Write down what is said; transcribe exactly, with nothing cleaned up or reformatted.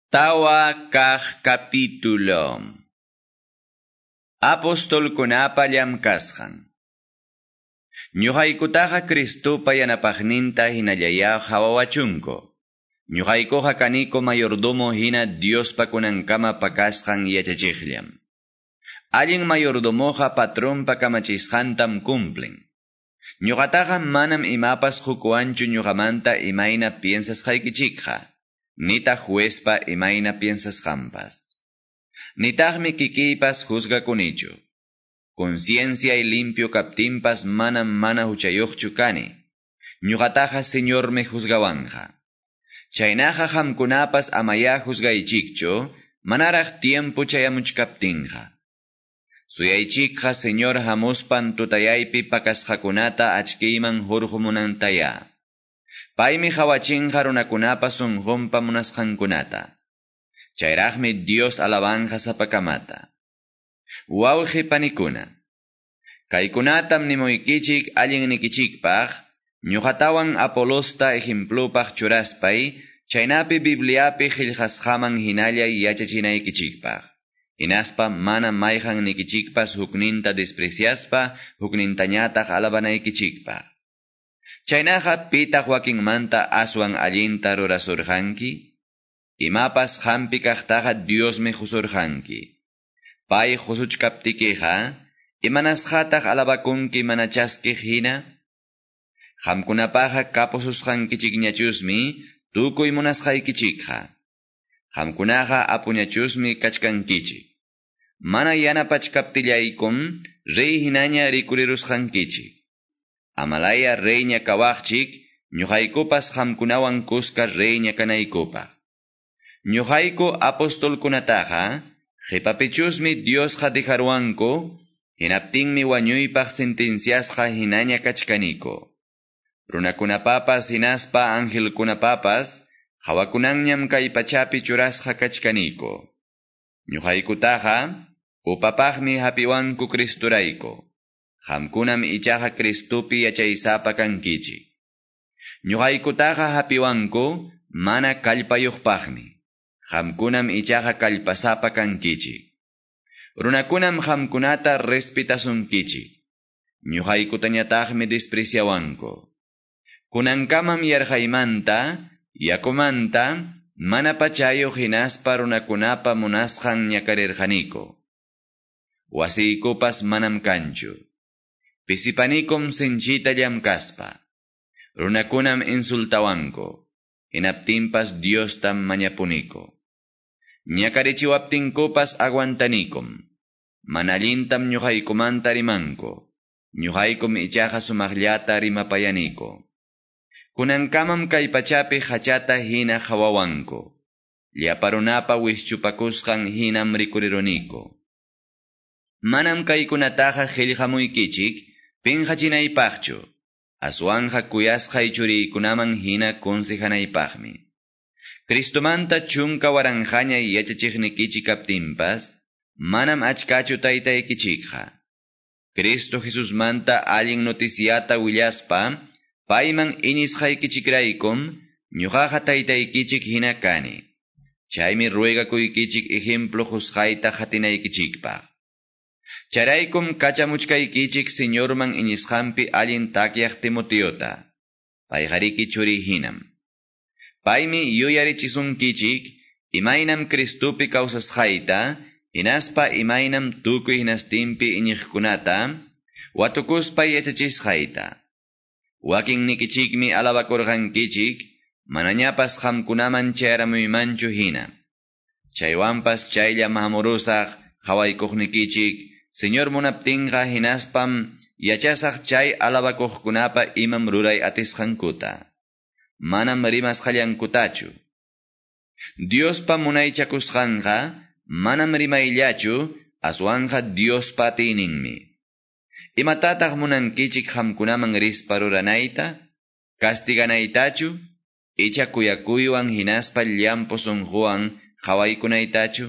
Tawa kaq capítulo. Apostolkunapa llamkasqan. Ñuqaykutaqa Cristopa yanapaqninta hinallaya hawawachunku. Ñuqaykuqa kaniko mayordomo hina Diospa kunankama pakasqan yachachiqllam. Allin mayordomoqa patronpa kamachisqantam cumplen. Ñuqataqa manam imapas hukuwanchu ñuqamanta imayna piensasqaykichikqa. Nitaq juezpa imayna piensasqanpas. Nitaqmi kikiypas juzgakunichu. Conciencia y limpio kaptinpas manam mana huchayuqchu kani. Ñuqataqa Señormi juzgawanja. Chaynaqa qamkunapas amaya juzgaychikchu, manaraq tiempo chayamuchkaptinqa. Suyaychikqa Señor hamuspan tutayaypi pakasqakunata achkiyman hurqumunantaya. Paymi hawachinqa runakunapa sunqunpa munasqankunata. Chayraqmi Dios alabanja sapakamata. Wawqi panikuna. Kaykunatam nimuykichik allinnikichikpaq, ñuqatawan Apolosta ejemplupaq churaspay, chaynapi Bibliapi qillqasqaman hinalla yachachinaykichikpaq. Hinaspa mana mayqan nikichikpas hukninta despreciaspa, huknintañataq alabanaykichikpaq. Chaynaqa pitaq wakinmanta aswan allinta rurasurqanki? Imapas hampi kaqtaqa Diosmi husurqanki. Pay husuchkaptikiqa, imanasqataq alabakunki mana chaskiq hina? Qamkunapaqa kapususqankichikñachusmi tukuy munasqaykichikqa. Qamkunaqa apuñachusmi kachkankichik. Mana yanapachkaptillaykum rey hinaña rikurirusqankichik. Amalaya reyña kawaqchik, ñuqaykupas qamkunawan kuska reyña kanaykupaq. Ñuqayku apostolkunataqa, qhipapichusmi Diosqa dejarwanku, hinaptinmi wañuypaq sentenciasqa hinaña kachkaniko. Runakunapapas hinaspa angelkunapapas, hawakunanñam kay pachapi churasqa kachkaniko. Ñuqaykutaqa, upapaqmi hapiwanku Cristurayku. Qamkunam ichaqa Cristopi yachaysapa kankichik. Ñuqaykutaqa hapiwanku mana kallpayuqpaqmi. Qamkunam ichaqa kallpasapa kankichik. Runakunam qamkunata respetasunkichik. Ñuqaykutañataqmi despreciawanku. Kunankamam yarqaymanta, yakumanta, mana pachayuq hinaspa runakunapa munasqan ñakarirqaniko. Wasiykupas manam kanchu. Pisipanikum sinchita llamkaspa. Runakunam insultawanku. Hinaptinpas Diostam mañapuniko. Ñakarichiwaptinkupas aguantanikum. Mana allintam ñuqaykumanta rimanku. Ñuqaykum ichaqa sumaqllata rimapayaniko. Kunankamam kay pachapi hachata hina hawawanku. Llapa runapa wischupakusqan hinam rikuriruniko. Manam kaykunataqa qillqamuykichik pinqachinaypaqchu, aswanqa kuyasqay churiykunaman hina consejanaypaqmi. Cristomanta chunka waranqaña yachachiqnikichik kaptinpas, manam achkachu taytaykichikqa. Cristo Jesusmanta allin noticiata willaspa, payman iñisqaykichikraykum, ñuqaqa taytaykichik hina kani. Chaymi ruegakuykichik ejemplo qusqayta qatinaykichikpaq. Charaykum kachamuchkaykichik Señorman iñisqanpi allin takyaq Timoteota. Payqariki churi hinam. Paymi yuyarichisunkichik imaynam Cristopi kawsasqayta, hinaspa imaynam tukuy hinastinpi iñiqkunata, watukuspa yachachisqayta. Wakinnikichikmi alabakurqankichik, manañapas qamkunaman chayaramuymanchu hina. Chaywanpas chaylla hamurusaq qhawaykuqnikichik, Señor munaptinqa hinaspam yachasaq chay alabakuqkunapa imam ruray atisqankuta. Manam rimasqallankutachu. Diospa munaychakusqanqa manam rimayllachu, aswanqa Diospa atiyninmi. Imatataq munankichik qamkunaman rispa ruranayta? Castiganaytachu? Icha kuyakuywan hinaspa llampu sunquwan qhawaykunaytachu?